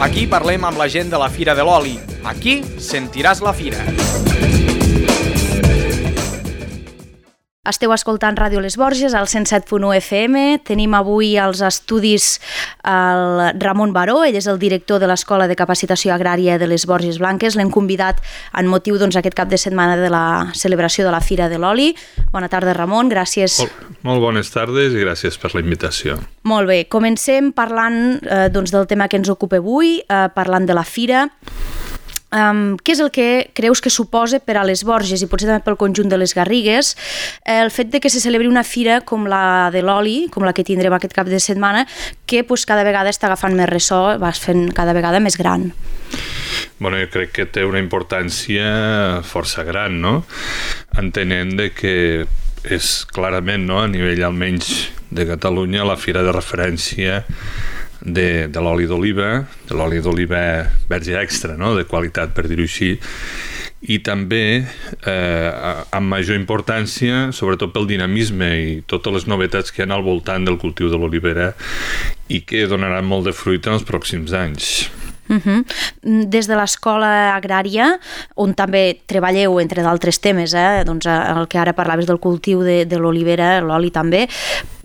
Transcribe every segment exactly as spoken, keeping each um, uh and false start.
Aquí parlem amb la gent de la Fira de l'Oli. Aquí sentiràs la fira. Esteu escoltant Ràdio Les Borges, al cent set punt u F M. Tenim avui als estudis el Ramon Baró, ell és el director de l'Escola de Capacitació Agrària de les Borges Blanques. L'hem convidat en motiu doncs, aquest cap de setmana de la celebració de la Fira de l'Oli. Bona tarda, Ramon, gràcies. Molt, molt bones tardes i gràcies per la invitació. Molt bé, comencem parlant eh, doncs, del tema que ens ocupa avui, eh, parlant de la Fira. Um, què és el que creus que suposa per a les Borges i potser també pel conjunt de les Garrigues el fet de que se celebri una fira com la de l'oli, com la que tindrem aquest cap de setmana, que pues, cada vegada està agafant més ressò, va fent cada vegada més gran? Bueno, jo crec que té una importància força gran, no? Entenent de que és clarament, no, a nivell almenys de Catalunya, la fira de referència de, de l'oli d'oliva, de l'oli d'oliva verge extra, no? De qualitat, per dir-ho així, i també eh, amb major importància, sobretot pel dinamisme i totes les novetats que hi ha al voltant del cultiu de l'olivera i que donaran molt de fruit en els pròxims anys. Uh-huh. Des de l'Escola Agrària, on també treballeu, entre d'altres temes, eh? doncs el que ara parlaves del cultiu de, de l'olivera, l'oli també,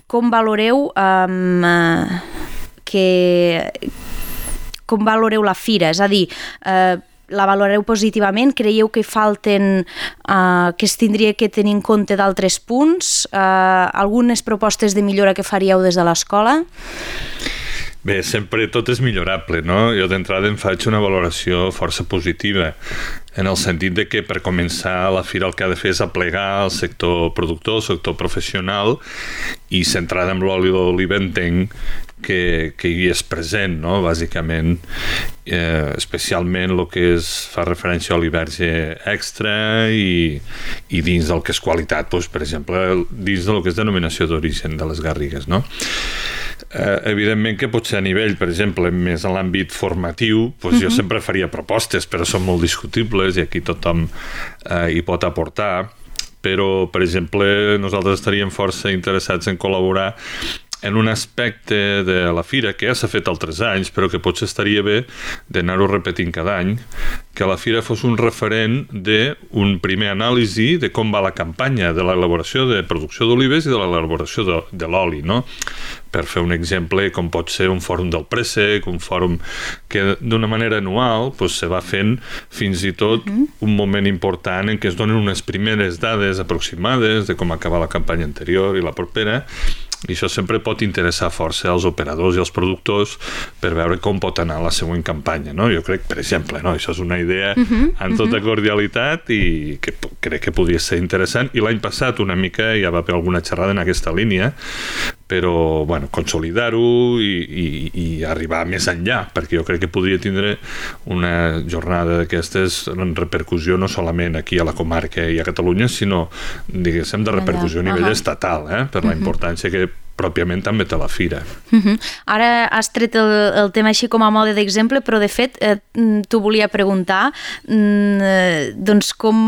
com valoreu um, que com valoreu la fira? És a dir, eh, la valoreu positivament? Creieu que falten, eh, que es tindria que tenir en compte d'altres punts? Eh, algunes propostes de millora que faríeu des de l'escola? Bé, sempre tot és millorable, no? Jo d'entrada em faig una valoració força positiva, en el sentit de que per començar la fira el que ha de fer és aplegar el sector productor, el sector professional, i centrada en l'oli d'oliva entenc que, que hi és present, no? Bàsicament, eh, especialment el que és, fa referència a oli verge extra i, i dins del que és qualitat, doncs, per exemple, dins del que és denominació d'origen de les Garrigues, no? Eh, evidentment que potser a nivell, per exemple, més en l'àmbit formatiu, doncs uh-huh. jo sempre faria propostes, però són molt discutibles i aquí tothom eh, hi pot aportar, però, per exemple, nosaltres estaríem força interessats en col·laborar en un aspecte de la fira que ja s'ha fet altres anys, però que potser estaria bé d'anar-ho repetint cada any, que la fira fos un referent d'un primer anàlisi de com va la campanya de l'elaboració de producció d'olives i de l'elaboració de, de l'oli, no? Per fer un exemple, com pot ser un fòrum del préssec, un fòrum que d'una manera anual pues, se va fent fins i tot uh-huh. un moment important en què es donen unes primeres dades aproximades de com acaba la campanya anterior i la propera, i això sempre pot interessar força als operadors i als productors per veure com pot anar la següent campanya, no? Jo crec, per exemple, no? Això és una idea uh-huh, en tota uh-huh. cordialitat i que crec que podria ser interessant, i l'any passat una mica ja va haver alguna xerrada en aquesta línia, però, bueno, consolidar-ho i, i, i arribar més enllà, perquè jo crec que podria tindre una jornada d'aquestes en repercussió no solament aquí a la comarca i a Catalunya, sinó, diguéssim, de repercussió a nivell uh-huh. estatal, eh? Per la importància que pròpiament també té la fira. Uh-huh. Ara has tret el, el tema així com a mode d'exemple, però de fet eh, t'ho volia preguntar, eh, doncs com...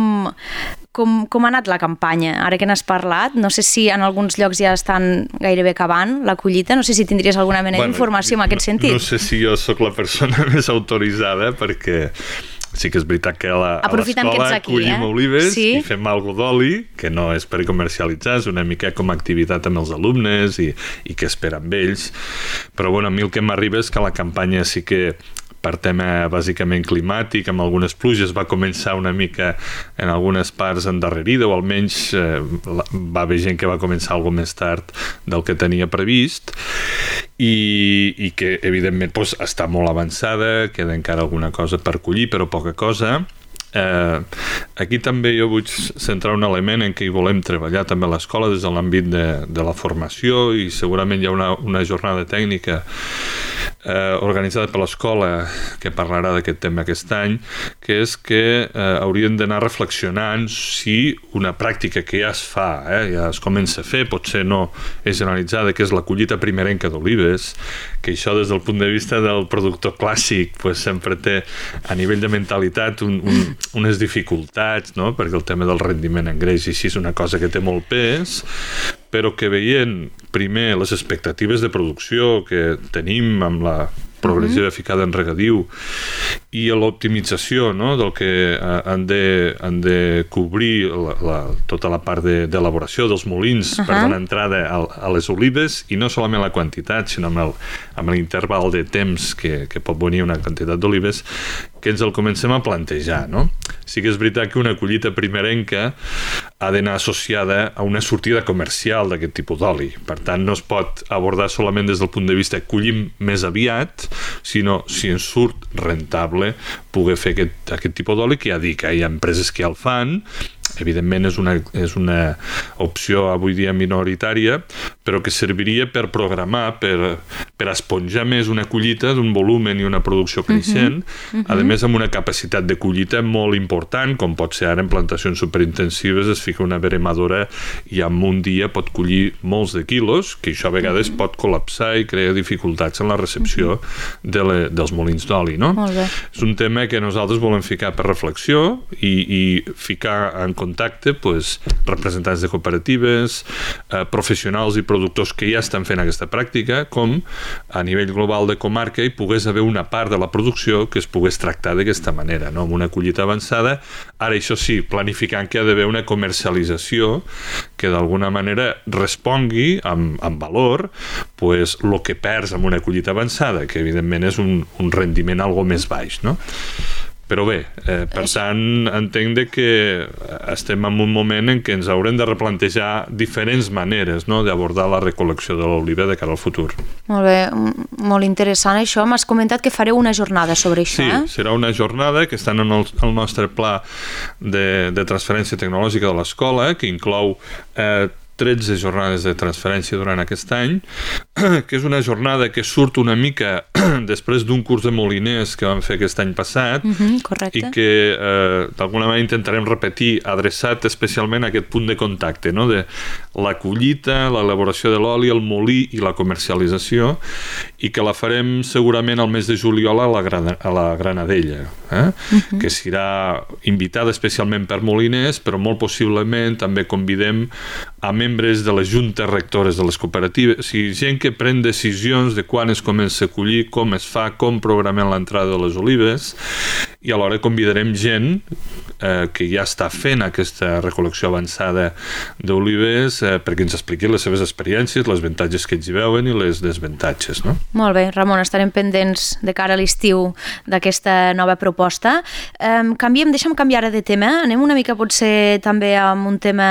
Com, com ha anat la campanya? Ara que n'has parlat, no sé si en alguns llocs ja estan gairebé acabant la collita, no sé si tindries alguna mena bueno, d'informació en aquest sentit. No, no sé si jo sóc la persona més autoritzada, perquè sí que és veritat que a l'escola collim eh? olives sí. i fem algo d'oli, que no és per comercialitzar, és una mica com a activitat amb els alumnes i, i que esperen amb ells. Però bueno, a mi el que m'arriba és que la campanya sí que per tema bàsicament climàtic, amb algunes pluges, va començar una mica en algunes parts endarrerida, o almenys eh, va haver gent que va començar alguna més tard del que tenia previst, i, i que evidentment doncs, està molt avançada, queda encara alguna cosa per collir, però poca cosa. Eh, aquí també jo vull centrar un element en què hi volem treballar també a l'escola des de l'àmbit de, de la formació, i segurament hi ha una, una jornada tècnica eh, organitzada per l'escola que parlarà d'aquest tema aquest any, que és que eh, haurien d'anar reflexionant si una pràctica que ja es fa, eh, ja es comença a fer, potser no és generalitzada, que és la collita primerenca d'olives, que això des del punt de vista del productor clàssic pues, sempre té a nivell de mentalitat un, un unes dificultats, no? Perquè el tema del rendiment en greix i així és una cosa que té molt pes, però que veient primer les expectatives de producció que tenim amb la progressiva uh-huh. ficada en regadiu i l'optimització, no?, del que han de, han de cobrir la, la, tota la part d'elaboració de, dels molins uh-huh. per donar entrada a, a les olives, i no solament la quantitat, sinó amb el, amb l'interval de temps que, que pot venir una quantitat d'olives, que ens el comencem a plantejar, no? Sí que és veritat que una collita primerenca ha d'anar associada a una sortida comercial d'aquest tipus d'oli. Per tant, no es pot abordar solament des del punt de vista collim més aviat, sinó si ens surt rentable poder fer aquest, aquest tipus d'oli, que ja dic, hi ha empreses que ja el fan, evidentment és una, és una opció avui dia minoritària, però que serviria per programar, per, per esponjar més una collita d'un volumen i una producció creixent, uh-huh. Uh-huh. a més amb una capacitat de collita molt important, com pot ser ara en plantacions superintensives, es fica una veremadora i en un dia pot collir molts de quilos, que això a vegades uh-huh. pot col·lapsar i crear dificultats en la recepció uh-huh. de le, dels molins d'oli, no? És un tema que nosaltres volem ficar per reflexió i, i ficar en contacte pues, representants de cooperatives, eh, professionals i productors que ja estan fent aquesta pràctica, com a nivell global de comarca hi pogués haver una part de la producció que es pogués tractar d'aquesta manera, no? Amb una collita avançada. Ara, això sí, planificant que hi ha d'haver una comercialització que d'alguna manera respongui amb, amb valor pues, el que perds amb una collita avançada, que evidentment és un, un rendiment algo més baix, no? Però bé, eh, per tant, entenc que estem en un moment en què ens haurem de replantejar diferents maneres, no?, d'abordar la recol·lecció de l'oliva de cara al futur. Molt bé, molt interessant això. M'has comentat que fareu una jornada sobre això, sí, eh? Sí, serà una jornada que està en el, el nostre pla de, de transferència tecnològica de l'escola, que inclou eh, tretze jornades de transferència durant aquest any, que és una jornada que surt una mica després d'un curs de moliners que vam fer aquest any passat, uh-huh, correcte. I que eh, d'alguna manera intentarem repetir, adreçat especialment a aquest punt de contacte, no?, de la collita, l'elaboració de l'oli, el molí i la comercialització, i que la farem segurament al mes de juliol a la, Gran a la Granadella, eh? uh-huh. que serà invitada especialment per moliners, però molt possiblement també convidem a membres de les juntes rectores de les cooperatives, o sigui, gent que pren decisions de quan es comença a collir, com es fa, com programem l'entrada de les olives, i alhora convidarem gent eh, que ja està fent aquesta recol·lecció avançada d'olives eh, perquè ens expliqui les seves experiències, les avantatges que ells hi veuen i les desavantatges, no? Molt bé, Ramon, estarem pendents de cara a l'estiu d'aquesta nova proposta. Um, canviem, deixa'm canviar de tema, anem una mica potser també amb un tema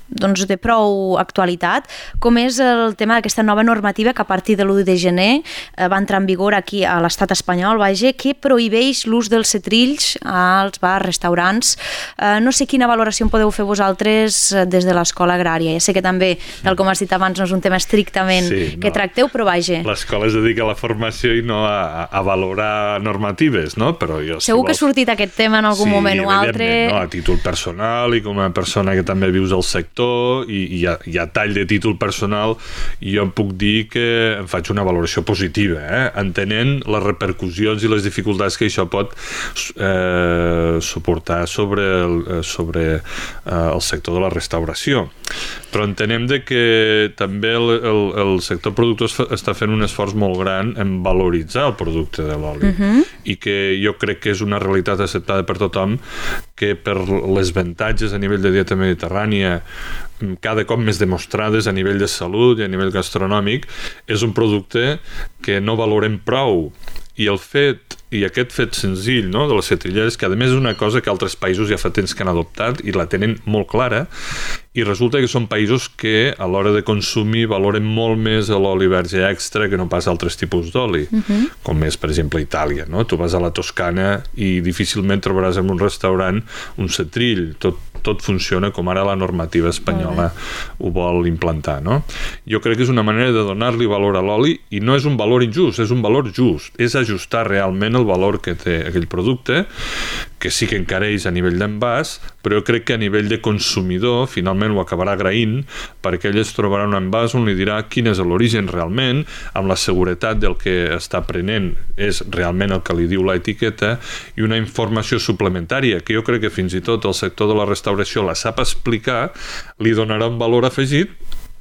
doncs, de prou actualitat, com és el tema d'aquesta nova normativa que a partir de l'u de gener eh, va entrar en vigor aquí a l'estat espanyol, vaja, que prohibeix l'ús dels cetrills als bars, restaurants. Eh, no sé quina valoració en podeu fer vosaltres des de l'escola agrària. Ja sé que també, tal com has dit abans, no és un tema estrictament sí, no. que tracteu, però vaja. L'escola es dedica a la formació i no a, a valorar normatives, no? Però jo, segur si vols... que ha sortit aquest tema en algun sí, moment o altre. No? A títol personal i com a persona que també vius al sector, i, i a, i a tall de títol personal jo em puc dir que em faig una valoració positiva, eh? entenent les repercussions i les dificultats que això pot eh, suportar sobre el, sobre eh, el sector de la restauració. Però entenem de que també el, el, el sector productor està fent un esforç molt gran en valoritzar el producte de l'oli, uh-huh. i que jo crec que és una realitat acceptada per tothom, que per les avantatges a nivell de dieta mediterrània cada cop més demostrades a nivell de salut i a nivell gastronòmic, és un producte que no valorem prou. I el fet, i aquest fet senzill, no?, de les cetrilleres, que a més és una cosa que altres països ja fa temps que han adoptat i la tenen molt clara, i resulta que són països que a l'hora de consumir valoren molt més l'oli verge extra que no pas altres tipus d'oli, uh-huh. com és, per exemple, Itàlia, no? Tu vas a la Toscana i difícilment trobaràs en un restaurant un cetrill, tot, tot funciona com ara la normativa espanyola uh-huh. ho vol implantar, no? Jo crec que és una manera de donar-li valor a l'oli, i no és un valor injust, és un valor just, és ajustar realment el valor que té aquell producte, que sí que encareix a nivell d'envàs, però jo crec que a nivell de consumidor finalment ho acabarà agraint, perquè ell es trobarà un envàs on li dirà quin és l'origen realment, amb la seguretat del que està prenent és realment el que li diu l'etiqueta, i una informació suplementària que jo crec que fins i tot el sector de la restauració la sap explicar, li donarà un valor afegit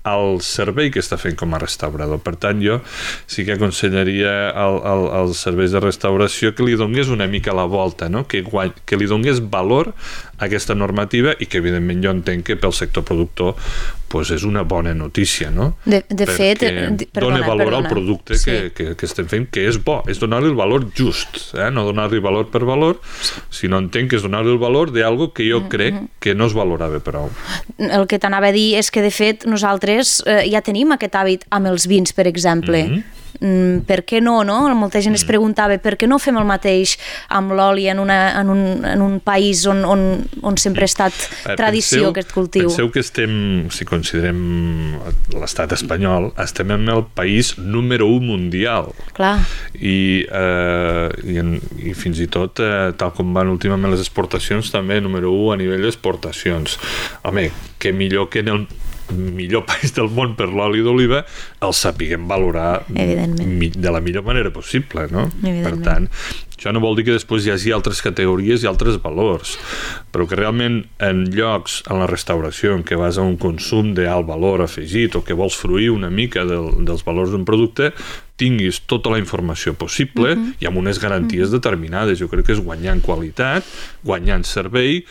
al servei que està fent com a restaurador. Per tant, jo sí que aconsellaria al, al, als serveis de restauració que li donés una mica la volta, no? que, guany, que li donés valor a aquesta normativa i que, evidentment, jo entenc que pel sector productor pues, és una bona notícia, no? De, de Perquè fet, perdona, dona valor perdona. al producte sí. que, que, que estem fent, que és bo, és donar-li el valor just, eh? no donar-li valor per valor, sinó entenc que és donar-li el valor d'algo que jo crec que no es valorava prou. El que t'anava a dir és que, de fet, nosaltres eh, ja tenim aquest hàbit amb els vins, per exemple. Mm-hmm. Mm, per què no, no? Molta gent es preguntava per què no fem el mateix amb l'oli en, una, en, un, en un país on, on, on sempre ha estat tradició penseu, aquest cultiu. Penseu que estem, si considerem l'estat espanyol, estem en el país número un mundial. Clar. I, eh, i, en, i fins i tot, eh, tal com van últimament les exportacions, també número un a nivell d'exportacions. Home, que millor que en el millor país del món per l'oli d'oliva el sapiguem valorar de la millor manera possible, no? Per tant, això no vol dir que després hi hagi altres categories i altres valors, però que realment en llocs, en la restauració, en què vas a un consum d'alt valor afegit o que vols fruir una mica del, dels valors d'un producte, tinguis tota la informació possible uh-huh. i amb unes garanties uh-huh. determinades. Jo crec que és guanyar en qualitat, guanyar en servei.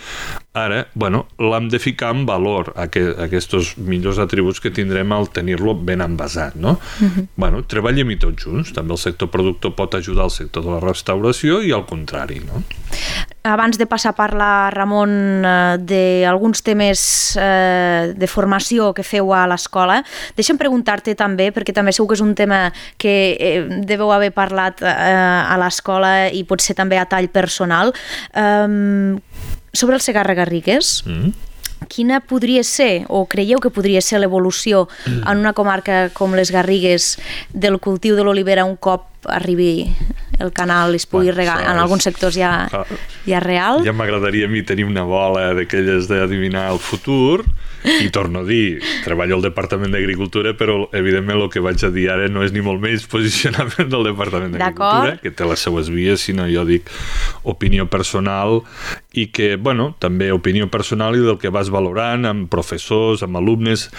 Ara, bueno, l'hem de ficar en valor a que, a aquests millors atributs que tindrem al tenir-lo ben envasat, no? Uh-huh. Bueno, treballem-hi tots junts. També el sector productor pot ajudar al sector de la restauració i al contrari, no? Abans de passar a parlar, Ramon, d'alguns temes eh, de formació que feu a l'escola, deixa'm preguntar-te també, perquè també segur que és un tema que eh, deveu haver parlat eh, a l'escola i potser també a tall personal, eh, sobre el Segarra-Garrigues. Mm. Quina podria ser, o creieu que podria ser l'evolució mm. en una comarca com les Garrigues del cultiu de l'olivera un cop arribi el canal i es pugui bueno, regar? En alguns sectors ja, ja real. Ja m'agradaria a mi tenir una bola d'aquelles d'adivinar el futur i torno a dir, treballo al Departament d'Agricultura, però evidentment el que vaig a dir ara no és ni molt menys posicionament del Departament d'Agricultura, que té les seues vies, sinó jo dic opinió personal i que, bueno, també opinió personal i del que vas valorant amb professors, amb alumnes,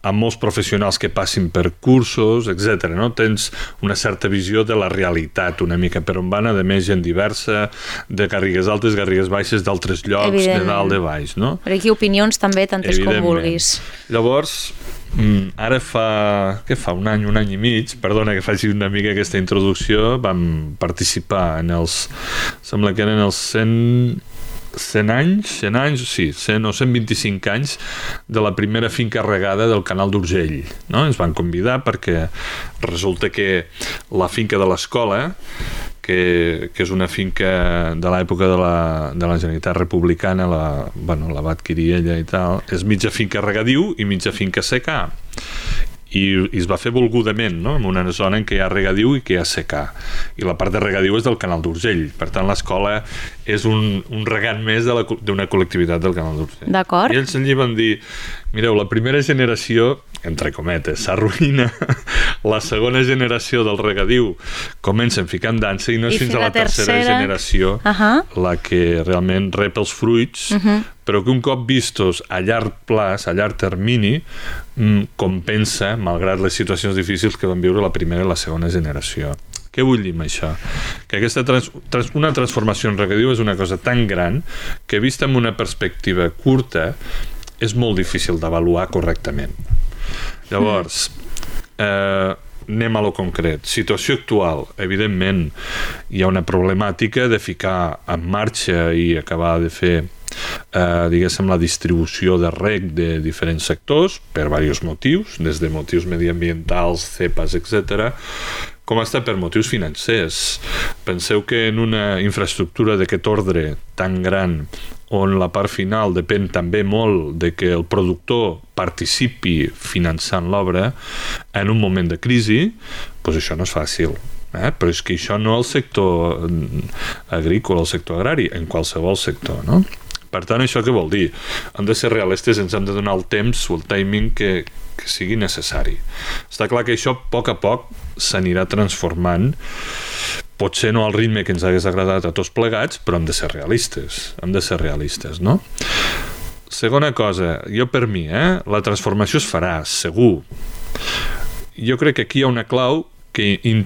amb molts professionals que passin per cursos, etcètera. No? Tens una certa visió de la realitat una mica per on van, a més gent diversa, de Garrigues altes, Garrigues baixes, d'altres llocs, de dalt, de baix. No? Però aquí opinions també, tantes com vulguis. Llavors, ara fa, què fa, un any, un any i mig, perdona que faci una mica aquesta introducció, vam participar en els, sembla que eren els cent... cent anys, cent anys, sí, cent o cent vint-i-cinc anys de la primera finca regada del canal d'Urgell, no? Ens van convidar perquè resulta que la finca de l'escola, que, que és una finca de l'època de la, de la Generalitat Republicana, la, bueno, la va adquirir ella i tal, és mitja finca regadiu i mitja finca secà. I, i es va fer volgudament, no? En una zona en què hi ha regadiu i que hi ha secà, i la part de regadiu és del canal d'Urgell, per tant l'escola és un, un regant més d'una col·lectivitat del canal d'Urgell. D'acord. I ells allí van dir, mireu, la primera generació, entre cometes, s'arruïna, la segona generació del regadiu comença a ficar en dansa i no és I fins a la tercera, tercera generació uh-huh. la que realment rep els fruits, uh-huh. però que un cop vistos a llarg plaç, a llarg termini, compensa, malgrat les situacions difícils que van viure la primera i la segona generació. Què vull dir amb això? Que aquesta trans, trans, una transformació en regadiu és una cosa tan gran que, vista amb una perspectiva curta, és molt difícil d'avaluar correctament. Llavors, eh, anem a lo concret. Situació actual, evidentment, hi ha una problemàtica de ficar en marxa i acabar de fer eh, diguéssim, la distribució de reg de diferents sectors per diversos motius, des de motius mediambientals, cepes, etcètera, com està per motius financers. Penseu que en una infraestructura d'aquest ordre tan gran, on la part final depèn també molt de que el productor participi finançant l'obra, en un moment de crisi, doncs això no és fàcil. Eh? Però és que això no al sector agrícola, al sector agrari, en qualsevol sector, no? Per tant, això què vol dir? Hem de ser realistes, ens hem de donar el temps o el timing que, que sigui necessari. Està clar que això, a poc a poc, s'anirà transformant, potser no al ritme que ens hagués agradat a tots plegats, però hem de ser realistes, hem de ser realistes, no? Segona cosa, jo per mi, eh, la transformació es farà, segur. Jo crec que aquí hi ha una clau que in,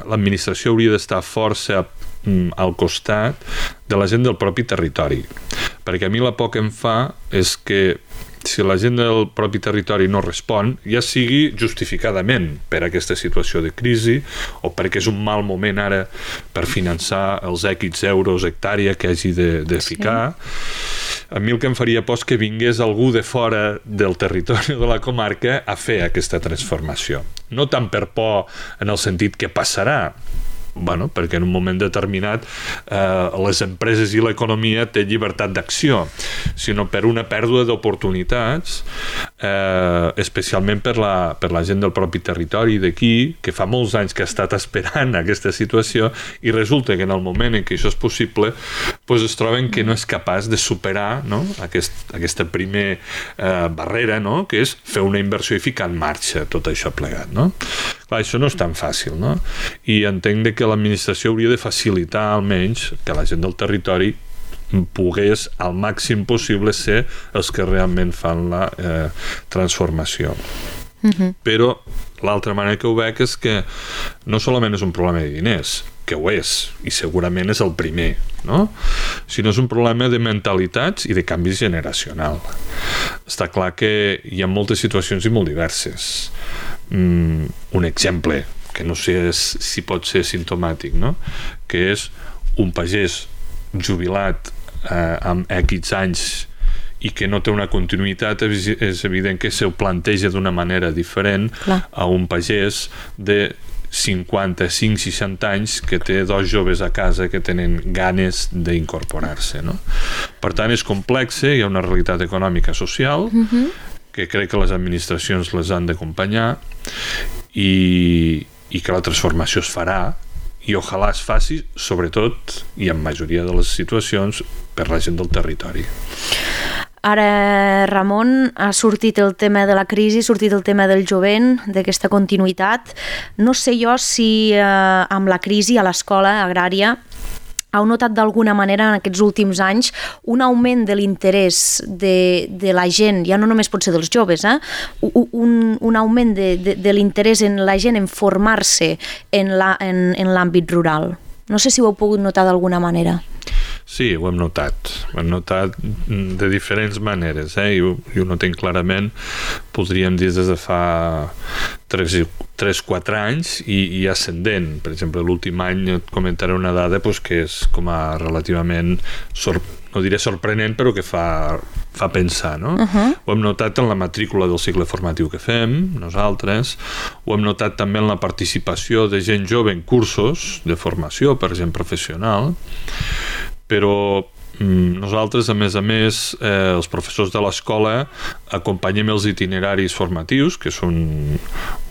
l'administració hauria d'estar força mm, al costat de la gent del propi territori. Perquè a mi la por que em fa és que si la gent del propi territori no respon, ja sigui justificadament per aquesta situació de crisi o perquè és un mal moment ara per finançar els X euros hectàrea que hagi de, de ficar, sí. A mi el que em faria por és que vingués algú de fora del territori de la comarca a fer aquesta transformació. No tant per por en el sentit que passarà, bueno, perquè en un moment determinat eh, les empreses i l'economia té llibertat d'acció, sinó per una pèrdua d'oportunitats, eh, especialment per la, per la gent del propi territori d'aquí, que fa molts anys que ha estat esperant aquesta situació i resulta que en el moment en què això és possible pues es troben que no és capaç de superar, no? Aquest, aquesta primer eh, barrera, no? Que és fer una inversió i ficar en marxa tot això plegat, no? Clar, això no és tan fàcil, no? I entenc de que l'administració hauria de facilitar almenys que la gent del territori pogués al màxim possible ser els que realment fan la eh, transformació. Uh-huh. Però l'altra manera que ho veig és que no solament és un problema de diners, que ho és, i segurament és el primer, no? Sinó és un problema de mentalitats i de canvi generacional. Està clar que hi ha moltes situacions i molt diverses. Mm, un exemple que no sé si pot ser simptomàtic, no? Que és un pagès jubilat eh, amb X anys i que no té una continuïtat, és evident que se'l planteja d'una manera diferent Clar. A un pagès de cinquanta-cinc seixanta anys que té dos joves a casa que tenen ganes d'incorporar-se, no? Per tant, és complex, hi ha una realitat econòmica social uh-huh. que crec que les administracions les han d'acompanyar i, i que la transformació es farà i ojalà es faci, sobretot i en majoria de les situacions, per la gent del territori. Ara, Ramon, ha sortit el tema de la crisi, ha sortit el tema del jovent, d'aquesta continuïtat. No sé jo si eh, amb la crisi a l'escola agrària heu notat d'alguna manera en aquests últims anys un augment de l'interès de, de la gent, ja no només pot ser dels joves, eh? un, un augment de, de, de l'interès en la gent en formar-se en, la, en, en l'àmbit rural. No sé si ho heu pogut notar d'alguna manera. Sí, ho hem notat. Ho hem notat de diferents maneres, eh? I ho, i ho notem clarament, podríem dir des de fa tres quatre anys i, i ascendent. Per exemple, l'últim any et comentaré una dada pues, que és com a relativament sor, no diré sorprenent, però que fa, fa pensar, no? Uh-huh. Ho hem notat en la matrícula del cicle formatiu que fem, nosaltres, ho hem notat també en la participació de gent jove en cursos de formació per gent professional, però mm, nosaltres, a més a més, eh, els professors de l'escola acompanyem els itineraris formatius, que són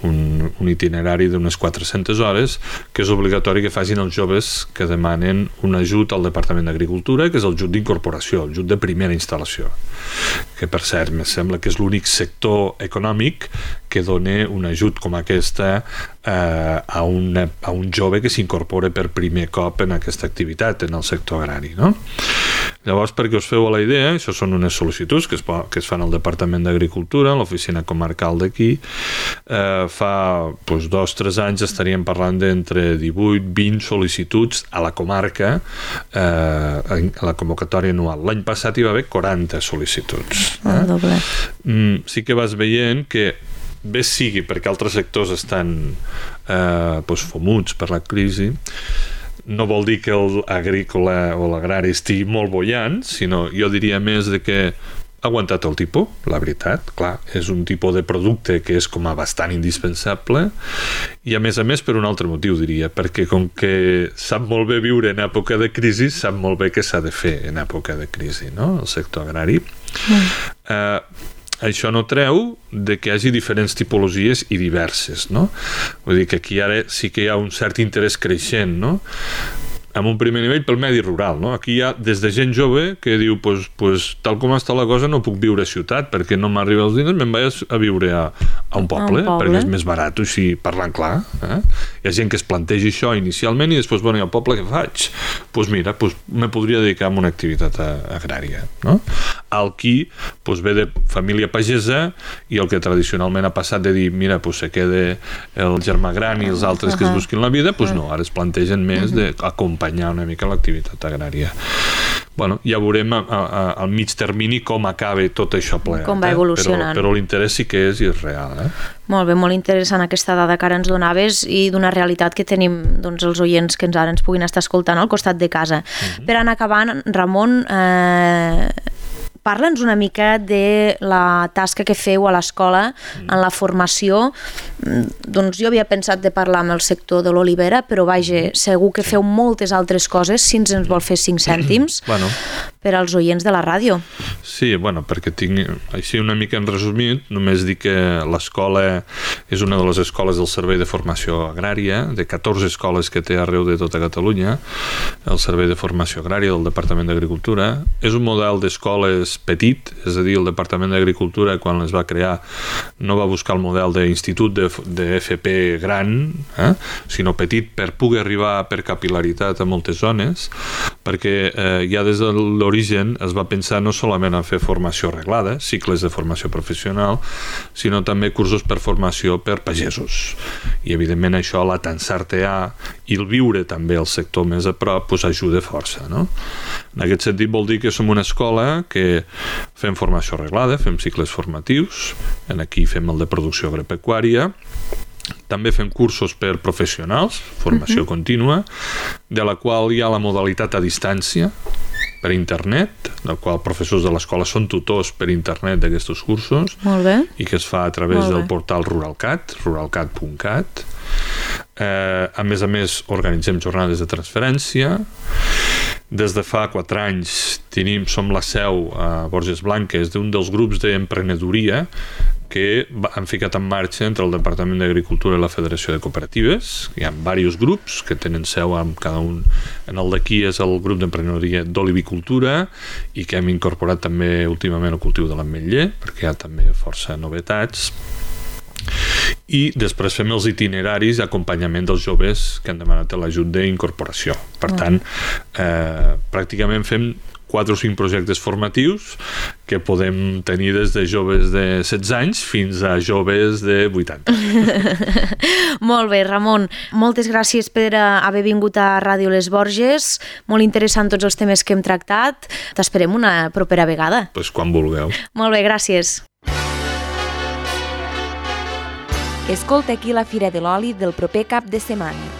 un, un itinerari d'unes quatre-centes hores, que és obligatori que facin els joves que demanen un ajut al Departament d'Agricultura, que és el ajut d'incorporació, el ajut de primera instal·lació, que per cert, me sembla que és l'únic sector econòmic que dona un ajut com aquesta eh, a, una, a un jove que s'incorpora per primer cop en aquesta activitat, en el sector agrari, no? Llavors, perquè us feu a la idea, això són unes sol·licituds que es, que es fan al Departament d'Agricultura, a l'oficina comarcal d'aquí. Eh, fa doncs, dos o tres anys estaríem parlant d'entre divuit vint sol·licituds a la comarca, eh, a la convocatòria anual. L'any passat hi va haver quaranta sol·licituds. Eh? El doble. Mm, sí que vas veient que bé sigui perquè altres sectors estan eh, doncs, fomuts per la crisi, no vol dir que l'agrícola o l'agrari estigui molt bollant, sinó jo diria més de que ha aguantat el tipus, la veritat, clar, és un tipus de producte que és com a bastant indispensable i a més a més per un altre motiu, diria, perquè com que sap molt bé viure en època de crisi, sap molt bé què s'ha de fer en època de crisi, no?, el sector agrari. Mm. Eh, això no treu de que hi hagi diferents tipologies i diverses, no? Vull dir que aquí ara sí que hi ha un cert interès creixent, no?, en un primer nivell pel medi rural, no? Aquí hi ha des de gent jove que diu pues, pues, tal com està la cosa no puc viure a ciutat perquè no m'arriba els diners, me'n vaig a viure a, a un poble, un poble perquè és més barat, així parlant clar, eh? Hi ha gent que es planteja això inicialment i després, bueno, i al poble què faig? Doncs pues mira, pues me podria dedicar a una activitat agrària, no? el qui pues, ve de família pagesa i el que tradicionalment ha passat de dir mira, pues, se queda el germà gran i els altres uh-huh. que es busquin la vida, pues no, ara es plantegen més uh-huh. d'acompanyar una mica l'activitat agrària. Bueno, ja veurem a, a, al mig termini com acaba tot això plegat. Com va evolucionant. Eh? Però, però l'interès sí que és i és real. Eh? Molt bé, molt interessant aquesta dada que ara ens donaves i d'una realitat que tenim doncs, els oients que ens ara ens puguin estar escoltant al costat de casa. Uh-huh. Per anar acabant, Ramon, eh, parla'ns una mica de la tasca que feu a l'escola mm. en la formació. Doncs jo havia pensat de parlar amb el sector de l'olivera, però vaja, segur que feu moltes altres coses, si ens en vol fer cinc cèntims bueno. per als oients de la ràdio. Sí, bueno, perquè tinc així una mica en resumit, només dir que l'escola és una de les escoles del Servei de Formació Agrària, de catorze escoles que té arreu de tota Catalunya, el Servei de Formació Agrària del Departament d'Agricultura. És un model d'escoles petit, és a dir, el Departament d'Agricultura quan es va crear no va buscar el model d'institut de, de F P gran, eh? sinó petit per poder arribar per capil·laritat a moltes zones, perquè eh, ja des de l'origen es va pensar no solament en fer formació reglada, cicles de formació professional, sinó també cursos per formació per pagesos. I evidentment això, la tensar-te-a i el viure també el sector més a prop, pues, ajuda força. No? En aquest sentit vol dir que som una escola que fem formació reglada, fem cicles formatius, en aquí fem el de producció agropecuària, també fem cursos per professionals, formació uh-huh. contínua, de la qual hi ha la modalitat a distància, per internet, del qual professors de l'escola són tutors per internet d'aquests cursos. Molt bé. I que es fa a través del portal Ruralcat, ruralcat punt cat. Eh, a més a més, organitzem jornades de transferència. Des de fa quatre anys tenim, som la seu a Borges Blanques d'un dels grups d'emprenedoria que han ficat en marxa entre el Departament d'Agricultura i la Federació de Cooperatives. Hi ha diversos grups que tenen seu amb cada un. En el d'aquí és el grup d'emprenedoria d'olivicultura i que hem incorporat també últimament el cultiu de l'ametller, perquè hi ha també força novetats. I després fem els itineraris d'acompanyament dels joves que han demanat l'ajut d'incorporació. Per tant, eh, pràcticament fem quatre o cinc projectes formatius que podem tenir des de joves de setze anys fins a joves de vuitanta. Molt bé, Ramon. Moltes gràcies per haver vingut a Ràdio Les Borges. Molt interessant tots els temes que hem tractat. T'esperem una propera vegada. Pues quan vulgueu. Molt bé, gràcies. Escolta aquí la Fira de l'Oli del proper cap de setmana.